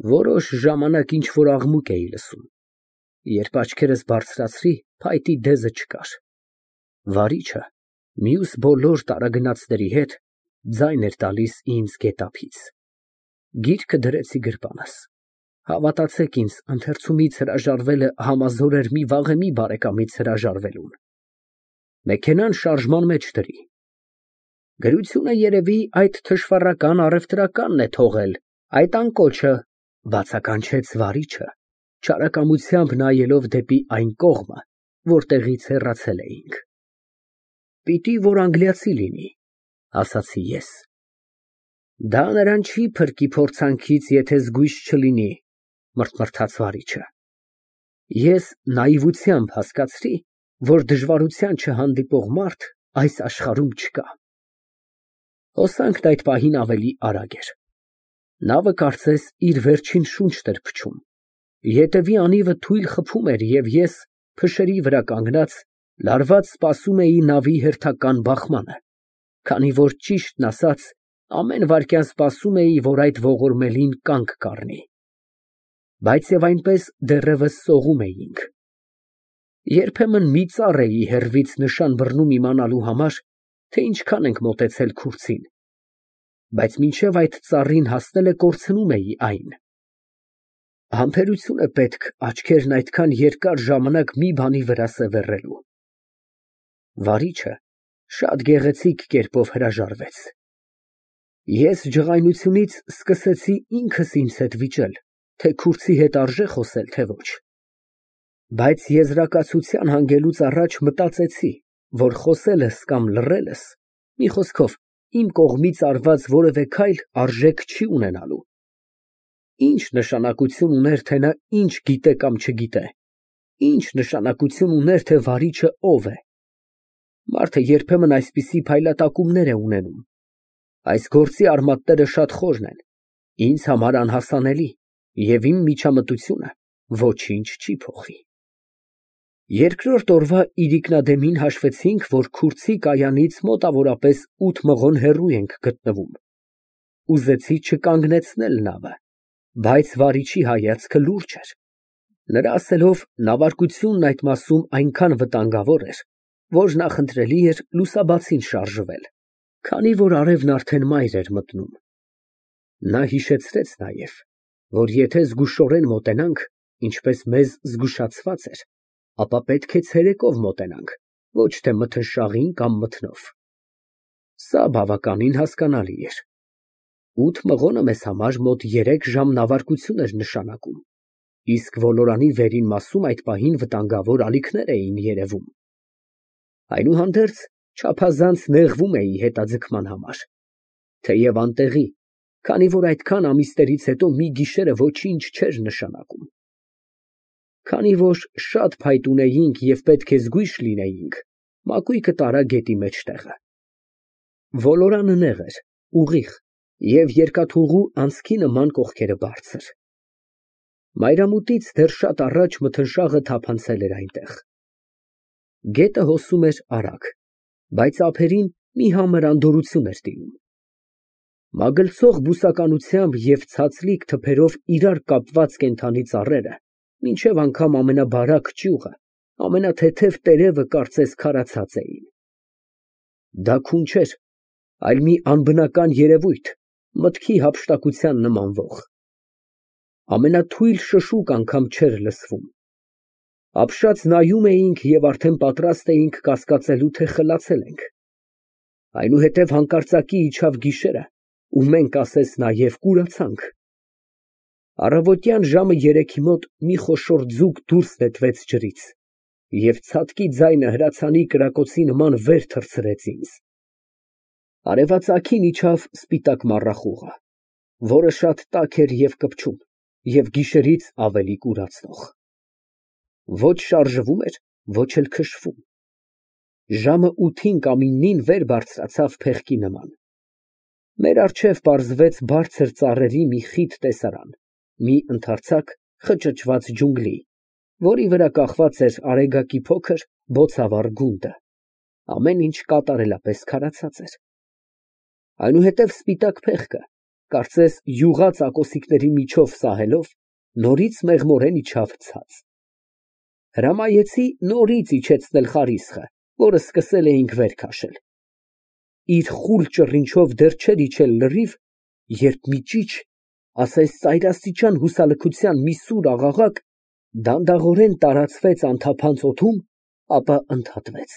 Որոշ ժամանակ ինչ֊որ աղմուկ էի լսում, երբ աչքերս բարձրացրի, փայտի դեզը չկար։ Վարիչը մյուս բոլոր տարագնացների հետ ձայն էր տալիս ինձ գետափից։ Գիրքը դրեցի գրպանս։ Հավատացեք ինձ, ընթերցումից հրաժարվելը համազոր էր մի վաղեմի բարեկամից հրաժարվելուն։ Մեքենան շարժման մեջ դրի։ Գրությունը երևի այդ թշվառական առևտրականն է թողել, այդ անկոչը, բացականչեց վարիչը, չարակամությամբ նայելով դեպի այն կողմը, որտեղից հեռացել էինք։ Պիտի որ անգլիացի լինի, ասացի ես։ Դա նրան չի փրկի փորձանքից, եթե զգույշ չլինի, մռթմռթաց վարիչը։ Ես նայիվությամբ հասկացրի, որ դժվարության չհանդիպող մարդ այս աշխարհում չկա։ Հոսանքն այդ պահին ավելի արագ էր։ Նավը կարծես իր վերջին շունչն էր փչում։ Ետևի անիվը թույլ խփում էր, և ես, փշերի վրա կանգնած, լարված սպասում էի նավի հերթական բախմանը, քանի որ, ճիշտն ասած, ամեն վայրկյան սպասում էի, որ այդ ողորմելին կանգ կառնի։ Բայց և այնպես դեռևս սողում էինք։ Երբեմն մի ծառ էի հեռվից նշան բռնում իմանալու համար, թե ինչքան ենք մոտեցել քուրձին, բայց մինչև այդ ծառին հասնելը կորցնում էի այն։ Համբերություն է պետք աչքերն այդքան երկար ժամանակ մի բանի վրա սևեռելու։ Վարիչը շատ գեղեցիկ կերպով հրաժարվեց։ Ես ջղայնությունից սկսեցի ինքս ինձ հետ վիճել, թե քուրձի հետ արժե խոսել, թե ոչ։ Բայց եզրակացության հանգելուց առաջ մտածեցի, որ խոսելս կամ լռելս, մի խոսքով, իմ կողմից արված որևէ քայլ արժեք չի ունենալու։ Ինչ նշանակություն ուներ, թե նա ինչ գիտե կամ չգիտե, ինչ նշանակություն ուներ, թե վարիչը ով է։ Մարդը երբեմն այսպիսի փայլատակումներ է ունենում։ Այս գործի արմատները շատ խորն են, ինձ համար անհասանելի, և իմ միջամտությունը ոչինչ չի փոխի։ Երկրորդ օրվա իրիկնադեմին հաշվեցինք, որ քուրձի կայանից մոտավորապես 8 մղոն հեռու ենք գտնվում։ Ուզեցի չկանգնեցնել նավը, բայց վարիչի հայացքը լուրջ էր։ Նրա ասելով, նավարկությունն այդ մասում այնքան վտանգավոր էր, որ նախընտրելի էր լուսաբացին շարժվել, քանի որ արևն արդեն մայր էր մտնում։ Նա հիշեցրեց նաև, որ եթե զգուշորեն մոտենանք, ինչպես մեզ զգուշացված էր, ապա պետք է ցերեկով մոտենանք, ոչ թե մթնշաղին կամ մթնով։ Սա բավականին հասկանալի էր։ 8 մղոնը մեզ համար մոտ 3 ժամ նավարկություն էր նշանակում, իսկ ոլորանի վերին մասում այդ պահին վտանգավոր ալիքներ էին երևում։ Այնուհանդերձ, չափազանց նեղվում էի հետաձգման համար, թեև անտեղի, քանի որ այդքան ամիսներից հետո մի գիշերը ոչինչ չէր նշանակում։ Քանի որ շատ փայտ ունեինք և պետք է զգույշ լինեինք, մակույկը տարա գետի մեջտեղը։ Ոլորանը նեղ էր, ուղիղ և երկաթուղու անցքի նման կողքերը բարձր։ Մայրամուտից դեռ շատ առաջ մթնշաղը թափանցել էր այնտեղ։ Գետը հոսում էր արագ, բայց ափերին մի համր անդորրություն էր տիրում։ Մագլցող բուսականությամբ և ցածլիկ թփերով իրար կապված կենդանի ծառերը, մինչև անգամ ամենաբարակ ճյուղը, ամենաթեթև տերևը կարծես քարացած էին։ Դա քուն չէր, այլ մի անբնական երևույթ, մտքի հափշտակության նմանվող։ Ամենաթույլ շշուկ անգամ չէր լսվում։ Ապշած նայում էինք և արդեն պատրաստ էինք կասկածելու, թե խլացել ենք։ Այնուհետև հանկարծակի իջավ գիշերը, ու մենք ասես նաև կուրացանք։ Առավոտյան ժամը 3-ի մոտ մի խոշոր ձուկ դուրս նետվեց ջրից, և ցատկի ձայնը հրացանի կրակոցի նման վեր թռցրեց ինձ։ Արևածագին իջավ սպիտակ մառախուղը, որը շատ տաք էր և կպչում, և գիշերից ավելի կուրացնող։ Ոչ շարժվում էր, ոչ էլ քշվում։ Ժամը 8-ին կամ 9-ին վեր բարձրացավ փեղկի նման։ Մեր առջև պարզվեց բարձր ծառերի մի խիտ տեսարան, մի ընդարձակ, խճճված ջունգլի, որի վրա կախված էր արեգակի փոքր, բոցավառ գունդը։ Ամեն ինչ կատարելապես քարացած էր։ Այնուհետև սպիտակ փեղկը, կարծես յուղած ակոսիկների միջով սահելով, նորից մեղմորեն իջավ ցած։ Հրամայեցի նորից իջեցնել խարիսխը, որը սկսել էինք վեր քաշել։ Իր խուլ ճռինչով դեռ չէր իջել լրիվ, երբ մի ճիչ, ասես ծայրաստիճան հուսալքության մի սուր աղաղակ, դանդաղորեն տարածվեց անթափանց օդում, ապա ընդհատվեց։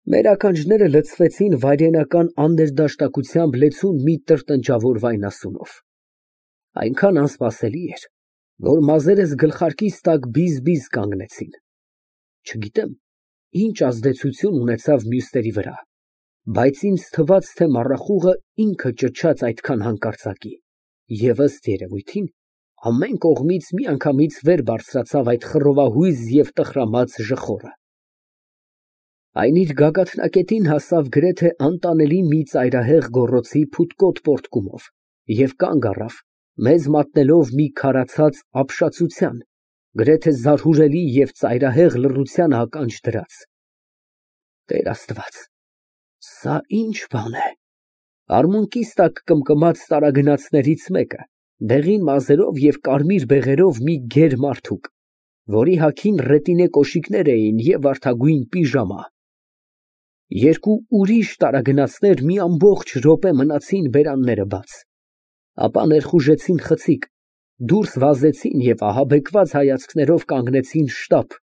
Մեր ականջները լցվեցին վայրենական աներդաշտակությամբ լեցուն մի տրտնջավոր վայնասունով։ Այնքան անսպասելի էր, որ մազերս գլխարկիս տակ բիզ-բիզ կանգնեցին։ Չգիտեմ, ինչ ազդեցություն ունեցավ մյուսների վրա, բայց ինձ թվաց, թե մառախուղը ինքը ճչաց այդքան հանկարծակի, և ըստ երևույթին, ամեն կողմից միանգամից վեր բարձրացավ այդ խռովահույզ և տխրամած ժխորը։ Այն իր գագաթնակետին հասավ գրեթե անտանելի մի ծայրահեղ գոռոցի փութկոտ պոռթկումով և կանգ առավ, մեզ մատնելով մի քարացած ապշածության, գրեթե զարհուրելի և ծայրահեղ լռության ականջ դրած։ Տեր Աստված, սա ի՞նչ բան է։ Արմունկիս տակ կմկմաց տարագնացներից մեկը, դեղին մազերով և կարմիր բեղերով մի գեր մարդուկ, որի հագին ռետինե կոշիկներ էին և վարդագույն պիժամա։ Երկու ուրիշ տարագնացներ մի ամբողջ րոպե մնացին բերանները բաց, ապա ներխուժեցին խցիկ, դուրս վազեցին և ահաբեկված հայացքներով կանգնեցին շտապ,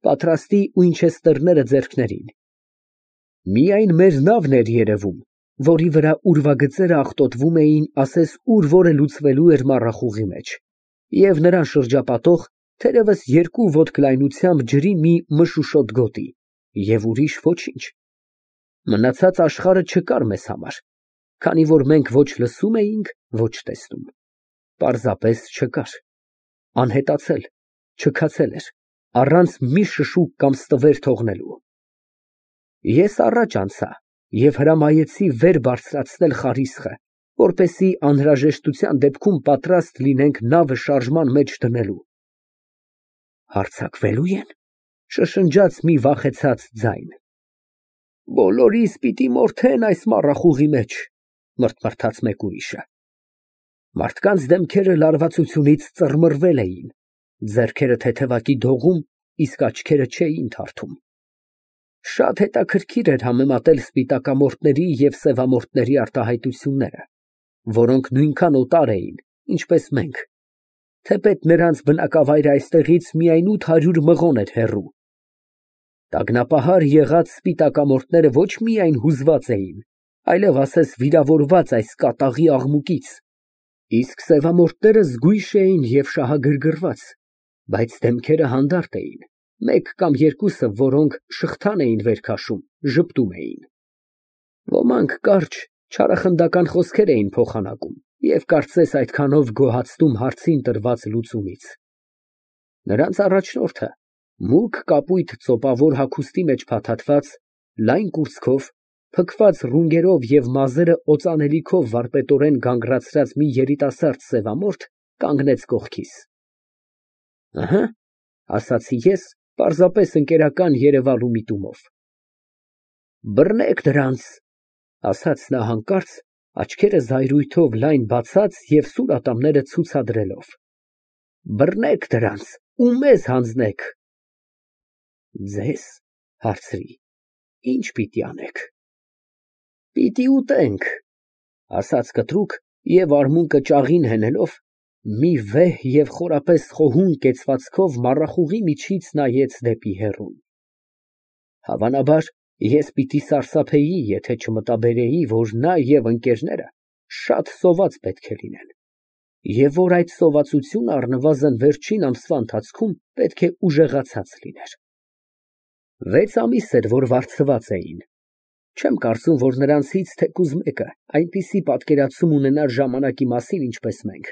պատրաստի Ուինչեսթերները ձեռքներին։ Միայն մեր նավն էր երևում, որի վրա ուրվագծերը աղտոտվում էին, ասես ուր որ է լուծվելու էր մառախուղի մեջ, և նրան շրջապատող, թերևս 2 ոտք լայնությամբ ջրի մի մշուշոտ գոտի, և ուրիշ ոչինչ։ Մնացած աշխարհը չկար մեզ համար, քանի որ մենք ոչ լսում էինք, ոչ տեսնում։ Պարզապես չկար, անհետացել, չքացել էր, առանց մի շշուկ կամ ստվեր թողնելու։ Ես առաջ անցա և հրամայեցի վեր բարձրացնել խարիսխը, որպեսզի անհրաժեշտության դեպքում պատրաստ լինենք նավը շարժման մեջ դնելու։ Հարձակվելո՞ւ են, շշնջաց մի վախեցած ձայն։ Բոլորիս պիտի մորթեն այս մառախուղի մեջ, մռթմռթաց մեկ ուրիշը։ Մարդկանց դեմքերը լարվածությունից ծռմռվել էին, ձեռքերը թեթևակի դողում, իսկ աչքերը չէին թարթում։ Շատ հետաքրքիր էր համեմատել սպիտակամորթների և սևամորթների արտահայտությունները, որոնք նույնքան օտար էին, ինչպես մենք, թեպետ նրանց բնակավայրը այստեղից միայն 800 մղոն էր հեռու։ Տագնապահար եղած սպիտակամորթները ոչ միայն հուզված էին, այլև ասես վիրավորված այս կատաղի աղմուկից, իսկ սևամորթները զգույշ էին և շահագրգռված, բայց դեմքերը հանդարտ էին, մեկ կամ երկուսը, որոնք շղթան էին վեր քաշում, ժպտում էին։ Ոմանք կարճ, չարախնդական խոսքեր էին փոխանակում և կարծես այդքանով գոհացնում հարցին տրված լուծումից։ Նրանց առաջնորդը, մուգ կապույտ ծոպավոր հագուստի մեջ փաթաթված, լայն կուրծքով, փքված ռունգերով և մազերը օծանելիքով վարպետորեն գանգրացրած մի երիտասարդ սևամորթ կանգնեց կողքիս։ Ըհը, ասացի ես, պարզապես ընկերական երևալու միտումով։ Բռնեք դրանց, ասաց նա հանկարծ, աչքերը զայրույթով լայն բացած և սուր ատամները ցուցադրելով։ Բռնեք դրանց ու մեզ հանձնեք։ Ձեզ, հարցրի, ինչ պիտի անենք։ Պիտի ուտենք, ասաց կտրուկ և արմունկը ճաղին հենելով, մի վեհ և խորապես խոհուն կեցվածքով մառախուղի միջից նայեց դեպի հեռուն։ Հավանաբար, ես պիտի սարսափեի, եթե չմտաբերեի, որ նա և ընկերները շատ սոված պետք է լինեն, և որ այդ սովածությունը առնվազն վերջին ամսվա ընթացքում պետք է ուժեղացած լիներ։ 6 ամիս էր, որ վարձված էին։ Չեմ կարծում, որ նրանցից թեկուզ մեկը այնպիսի պատկերացում ունենար ժամանակի մասին, ինչպես մենք։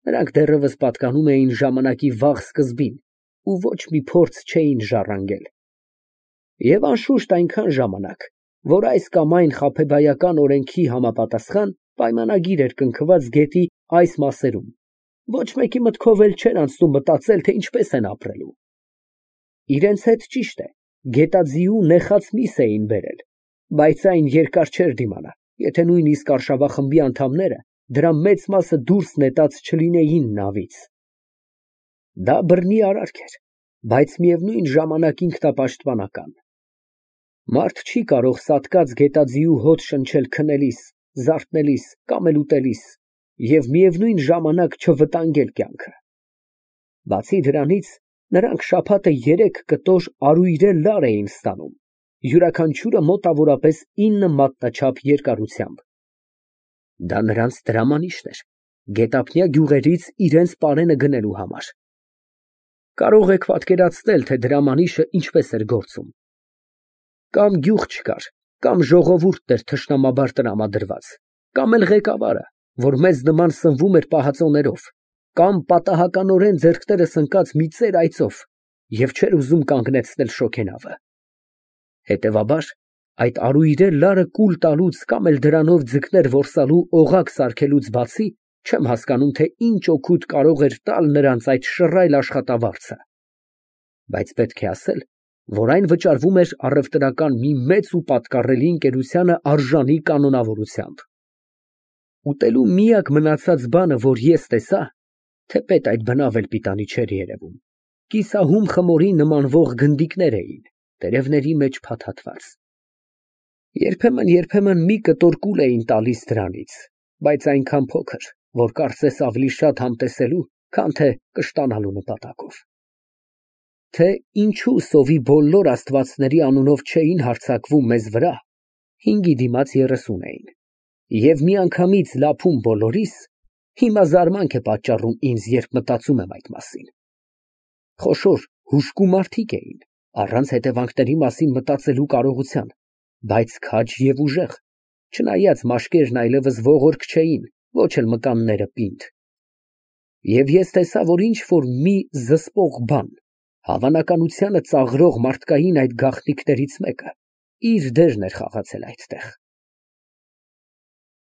Նրանք դեռևս պատկանում էին ժամանակի վաղ սկզբին ու ոչ մի փորձ չէին ժառանգել։ Եվ անշուշտ այնքան ժամանակ, որ այս կամ այն խաբեբայական օրենքի համապատասխան պայմանագիր էր կնքված գետի այս մասերում, ոչ մեկի մտքով էլ չէր անցնում մտածել, թե ինչպես են ապրելու։ Իրենց հետ, ճիշտ է, գետաձիու նեխած միս էին բերել, բայց այն երկար չէր դիմանա, եթե նույնիսկ արշավախմբի անդամները դրա մեծ մասը դուրս նետած չլինեին նավից։ Դա բռնի արարք էր, բայց միևնույն ժամանակ ինքնապաշտպանական։ Մարդ չի կարող սատկած գետաձիու հոտ շնչել քնելիս, զարթնելիս կամ էլ ուտելիս և միևնույն ժամանակ չվտանգել կյանքը։ Բացի դրանից, նրանք շաբաթը 3 կտոր արույրե լար էին ստանում, յուրաքանչյուրը մոտավորապես 9 մատնաչափ երկարությամբ։ Դա նրանց տրամանիշն էր, գետափնյա գյուղերից իրենց պարենը գնելու համար։ Կարող եք պատկերացնել, թե դրամանիշը ինչպես էր գործում։ Կամ գյուղ չկար, կամ ժողովուրդն էր թշնամաբար տրամադրված, կամ էլ ղեկավարը, որ մեզ նման սնվում էր պահածոներով, կամ պատահականորեն ձեռքներս ընկած մի ծեր այծով և չէր ուզում կանգնեցնել շոգենավը։ Հետևաբար, այդ արույրե լարը կուլ տալուց կամ էլ դրանով ձկներ որսալու օղակ սարքելուց բացի, չեմ հասկանում, թե ինչ օգուտ կարող էր տալ նրանց այդ շռայլ աշխատավարձը։ Բայց պետք է ասել, որ այն վճարվում էր առևտրական մի մեծ ու պատկառելի ընկերությանը արժանի կանոնավորությամբ։ Ուտելու միակ մնացած բանը, որ ես տեսա, թեպետ այդ բնավ էլ պիտանի չէր երևում, կիսահում խմորի նմանվող գնդիկներ էին, տերևների մեջ փաթաթված։ Երբեմն մի կտոր կուլ էին տալիս դրանից, բայց այնքան փոքր, որ կարծես ավելի շատ համտեսելու, քան թե կշտանալու նպատակով։ Թե ինչու սովի բոլոր աստվածների անունով չէին հարձակվում մեզ վրա, 5-ի դիմաց 30 էին, և միանգամից լափում բոլորիս, հիմա զարմանք է պատճառում ինձ, երբ մտածում եմ այդ մասին։ Խոշոր, հուժկու մարդիկ էին, առանց հետևանքների մասին մտածելու կարողության, բայց քաջ և ուժեղ, չնայած մաշկերն այլևս ողորկ չէին, ոչ էլ մկանները պինդ։ Եվ ես տեսա, որ ինչ֊որ մի զսպող բան, հավանականությանը ծաղրող մարդկային այդ գաղտնիքներից մեկը, իր դերն էր խաղացել այդտեղ։